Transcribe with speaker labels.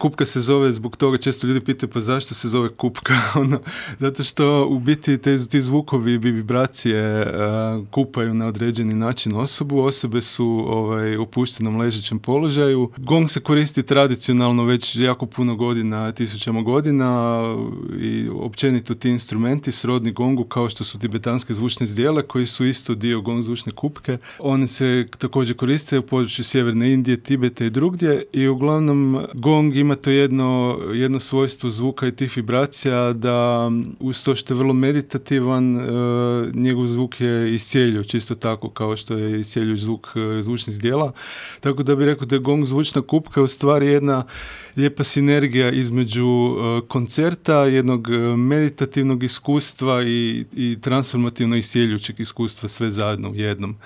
Speaker 1: Kupka se zove zbog toga, često ljudi pitaju pa zašto se zove kupka, zato što u biti ti zvukovi i vibracije kupaju na određeni način osobu. Osobe su u opuštenom ležećem položaju. Gong se koristi tradicionalno već jako puno godina, tisućama godina, i općenito ti instrumenti srodni gongu kao što su tibetanske zvučne zdjele koji su isto dio gong zvučne kupke. One se također koriste u području sjeverne Indije, Tibeta i drugdje i uglavnom gong ima to jedno svojstvo zvuka i tih vibracija da uz to što je vrlo meditativan, njegov zvuk je iscijeljuj, čisto tako kao što je iscijeljuj zvuk zvučnih zdjela. Tako da bih rekao da je gong zvučna kupka u stvari jedna lijepa sinergija između koncerta, jednog meditativnog iskustva i transformativno iscijeljujućeg iskustva sve zajedno u jednom.